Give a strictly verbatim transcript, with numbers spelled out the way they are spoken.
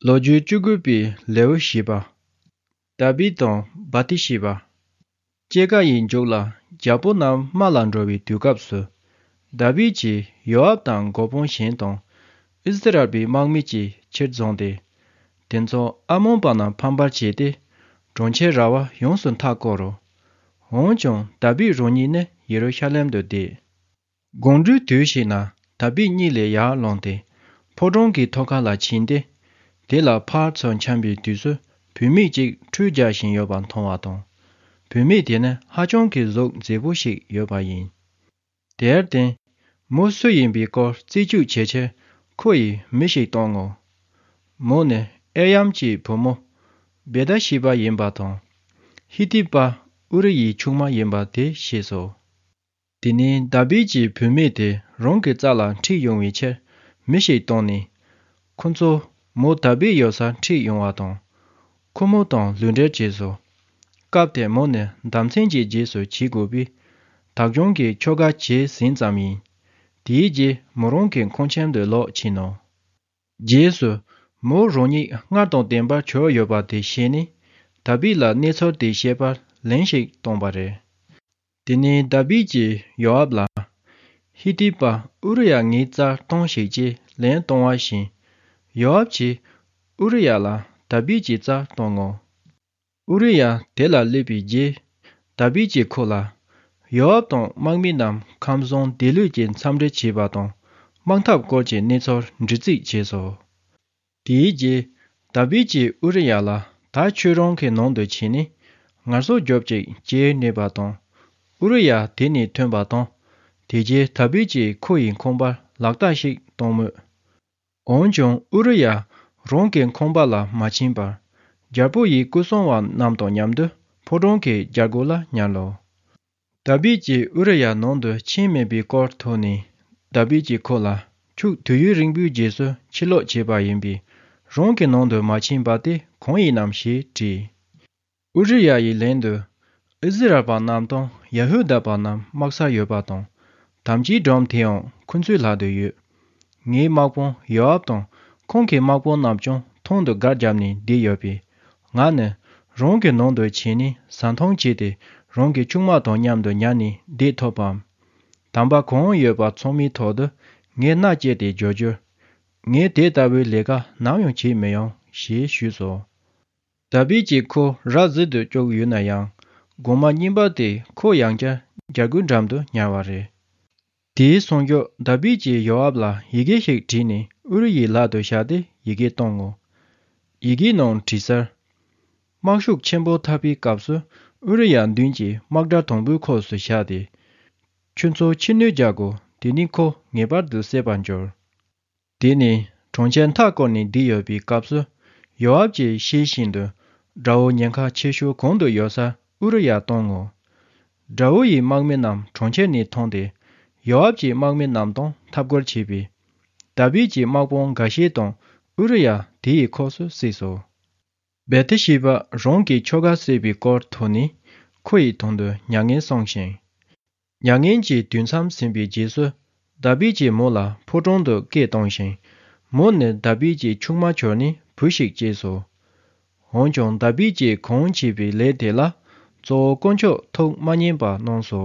ལོ་རྒྱུས་བཅུ་དགུ་པའི་ལེའུ་བཞི་པ། དཱ་བིད་དང་བ་ཏི་ཤེ་བ། སྐྱེ་རྒ་ཡི་མཇུག་ལ་རྒྱལ་པོ་རྣམས་དམག་ལ་འགྲོ་བའི་དུས་སྐབས་སུ། དཱ་བིད་ཀྱིས་ཡོ་ཨབ་དང་འགོ་དཔོན་གཞན་དང་། ཨིསི་རཱཨེལ་པའི་དམག་མི་གཅིག་ཕྱིར་བརྫངས་ཏེ། དེ་ཚོ་ཨ་མོན་པ་རྣམས་ཕམ་པར་བྱས་ཏེ། གྲོང་ཁྱེར་ར་བ་ཡོངས་སུ་མཐའ་བསྐོར་རོ། འོན་ཀྱང་དཱ་བིད་རང་ཉིད་ནི་ཡེ་རུ་ཤ་ལེམ་དུ་བསྡད། དགོང་དྲོའི་དུས་ཤིག་ན་དཱ་བིད་གཉིད་ལས་ཡར་ལངས་ཏེ། ཕོ་བྲང་གི་ཐོག་ཁ་ལ་ཕྱིན་ཏེ། དེ་ལ་ཕར་ཚུར་འཁྱམ་པའི་དུས་སུ། བུད་མེད་ཅིག་ཁྲུས་རྒྱག་བཞིན་ཡོད་པ་མཐོང་བ་དང་། བུད་མེད་དེ་ནི་ཧ་ཅང་གི་གཟུགས་མཛེས་པོ་ཞིག་ཡོད་པ་ཡིན། དེར་བརྟེན། མོ་སུ་ཡིན་པའི་སྐོར་རྩད་གཅོད་བྱེད་ཕྱིར་ཁོ་ཡིས་མི་ཞིག་བཏང་ངོ་། མོ་ནི་ཨེ་ཡམ་གྱི་བུ་མོ་བེ་ད་ཤི་བ་ཡིན་པ་དང་། ཧི་ཏི་པ་ཨུ་རི་ཡི་ཆུང་མ་ཡིན་པ་དེ་ཤེས་སོ། དེ་ནས་དཱ་བིད་ཀྱིས་བུད་མེད་དེ་རང་གི་རྩ་ལ་ཁྲིད་ཡོང་བའི་ཕྱིར་མི་ཞིག་བཏང་ནས། ཁོ་ཚོ་མོ་དཱ་བིད་ཡོད་སར་ཁྲིད་ཡོང་བ་དང་། ཁོ་མོ་དང་ལུས་འབྲེལ་བྱས་སོ། སྐབས་དེར་མོ་ནི་ཟླ་མཚན་གྱི་རྗེས་སུ་བྱེད་དགོས་པས། དག་སྦྱོང་གི་ཆོ་ག་བྱས་ཟིན་ཙམ་ཡིན། དེའི་རྗེས་མོ་རང་གི་ཁང་ཁྱིམ་དུ་ལོག་ཕྱིན་ནོ། རྗེས་སུ། མོ་རང་ཉིད་སྔར་དང་ལྡན་པར་གྱུར་ཡོད་པ་དེ་ཤེས་ནས། དཱ་བིད་ལ་གནས་ཚུལ་དེ་བཤད་པར་ལན་ཞིག་བཏང་བ་རེད། དེ་ནས་དཱ་བིད་ཀྱིས་ཡོ་ཨབ་ལ། ཧི་ཏི་པ་ཨུ་རི་ཡ་ངའི་རྩར་གཏོང་ཞིག་ཅེས་ལན་གཏོང་བ་བཞིན། ཡོ་ཨབ་ཀྱིས་ཨུ་རི་ཡ་ལ་དཱ་བིད་ཀྱི་རྩར་གཏོང་ངོ་། ཨུ་རི་ཡ་དེ་ལ་སླེབས་པའི་རྗེས། དཱ་བིད་ཀྱིས་ཁོ་ལ། ཡོ་ཨབ་དང་དམག་མི་རྣམས་ཁམས་བཟང་བདེ་ལུས་ཀྱི་འཚམས་འདྲི་བྱས་པ་དང་། དམག་འཐབ་སྐོར་གྱི་གནས་ཚུལ་འདྲི་རྩིས་བྱས་སོ། དེའི་རྗེས། དཱ་བིད་ཀྱིས་ཨུ་རི་ཡ་ལ། ད་ཁྱོད་རང་གི་ནང་དུ་ཕྱིན་ནས། ངལ་གསོ་རྒྱོབ་ཅིག་ཅེས་སྨྲས་པ་དང་། ཨུ་རི་ཡ་དེ་ནས་ཐོན་པ་དང་། དེ་རྗེས་དཱ་བིད་ཀྱིས་ཁོ་ཡི་ཁང་པར་ལག་རྟགས་ཤིག་བཏང་མོད། འོན་ཀྱང་ཨུ་རི་ཡ་རང་གི་ཁང་པ་ལ་མ་ཕྱིན་པར། རྒྱལ་པོ་ཡི་སྐུ་སྲུང་བ་རྣམས་དང་མཉམ་དུ་ཕོ་བྲང་གི་རྒྱལ་སྒོ་ལ་ཉལ་ལོ། དཱ་བིད་ཀྱིས་ཨུ་རི་ཡ་ནང་དུ་ཕྱིན་མེད་པའི་སྐོར་ཐོས་ནས། དཱ་བིད་ཀྱིས་ཁོ་ལ། ཁྱོད་དུས་ཡུན་རིང་པོའི་རྗེས་སུ་ཕྱིར་ལོག་བྱས་པ་ཡིན་པས། རང་གི་ནང་དུ་མ་ཕྱིན་པ་དེ་གང་ཡིན་ནམ་ཞེས་དྲིས། ཨུ་རི་ཡ་ཡིས་ལན་དུ། ཨིསི་རཱཨེལ་པ་རྣམས་དང་ཡ་ཧུ་དཱ་པ་རྣམས་དམག་སར་ཡོད་པ་དང་། དམ་བཅའི་སྒྲོམ་དེའང་ཁོ་ཚོའི་ལག་ཏུ་ཡོད། ངའི་དམག་དཔོན་ཡོ་ཨབ་དང་ཁོང་གི་དམག་དཔོན་རྣམས་ཀྱང་ཐང་དུ་སྒར་བརྒྱབ་ནས་བསྡད་ཡོད་པས། ང་ནི་རང་གི་ནང་དུ་ཕྱིན་ནས་ཟ་འཐུང་བྱས་ཏེ། རང་གི་ཆུང་མ་དང་མཉམ་དུ་ཉལ་ནས་བསྡད་ཐུབ་བམ། དམ་པ་གང་ཡོད་པ་ཚང་མའི་ཐོག་ཏུ་ངས་མནའ་བསྐྱལ་ཏེ་བརྗོད་རྒྱུར། ངས་དེ་ལྟ་བུའི་ལས་ཀ་ནམ་ཡང་བྱེད་མི་ཡོང་ཞེས་ཞུས་སོ། དཱ་བིད་ཀྱིས་ཁོ་ར་བཟི་དུ་བཅུག་ཡོད་ན་ཡང་། དགོང་མོ་རྙིང་པ་དེ་ཁོ་ཡང་བསྐྱར་རྒྱལ་སྒོའི་འགྲམ་དུ་ཉལ་བ་རེད། དེའི་སང་ཞོགས་དཱ་བིད་ཀྱིས་ཡོ་ཨབ་ལ་ཡི་གེ་ཞིག་བྲིས་ནས་ཨུ་རི་ཡའི་ལག་ཏུ་བཞག་སྟེ་ཡི་གེ་བཏང་ངོ་། ཡི་གེའི་ནང་བྲིས་གསལ། དམག་ཤུགས་ཆེན་པོ་འཐབ་པའི་སྐབས་སུ་ཨུ་རི་ཡ་མདུན་གྱི་དམག་གྲལ་དང་པོའི་ཁོངས་སུ་བཞག་སྟེ། ཁྱོད་ཚོ་ཕྱིར་ནུད་རྒྱག་དགོས། དེ་ནས་ཁོ་ངེས་པར་དུ་བསད་པར་འགྱུར། དེ་ནས་གྲོང་ཁྱེར་མཐའ་བསྐོར་ནས་བསྡད་ཡོད་པའི་སྐབས་སུ། ཡོ་ཨབ་ཀྱིས་ཤེས་བཞིན་དུ། དགྲ་བོ་ཉེན་ཁ་ཆེ་ཤོས་གང་དུ་ཡོད་སར་ཨུ་རི་ཡ་བཏང་ངོ་། དགྲ་བོ་ཡི་དམག་མི་རྣམས་གྲོང་ཁྱེར་ནས་ཐོན་ཏེ། ཡོ་ཨབ་ཀྱི་དམག་མི་རྣམས་དང་འཐབ་རྒོལ་བྱས་པས། དཱ་བིད་ཀྱི་དམག་དཔོན་འགའ་ཤས་དང་ཨུ་རི་ཡ་དེ་ཡི་ཁོངས་སུ་བསྲེས་སོ། བེ་ཐི་ཤི་བ་རང་གི་ཁྱོ་ག་བསད་པའི་སྐོར་ཐོས་ནས་ཁོ་ཡི་དོན་དུ་མྱ་ངན་སངས་ཤིང་། མྱ་ངན་གྱི་དུས་མཚམས་ཟིན་པའི་རྗེས་སུ། དཱ་བིད་ཀྱིས་མོ་ལ་ཕོ་བྲང་དུ་སྐད་བཏང་ཞིང་། མོ་ནི་དཱ་བིད་ཀྱི་ཆུང་མ་གྱུར་ནས་བུ་ཞིག་སྐྱེས་སོ། འོན་ཀྱང་དཱ་བིད་ཀྱིས་གང་བྱས་པའི་ལས་དེ་ལ་གཙོ་བོ་དཀོན་མཆོག་ཐུགས་མ་མཉེས་པ་གནང་སོ།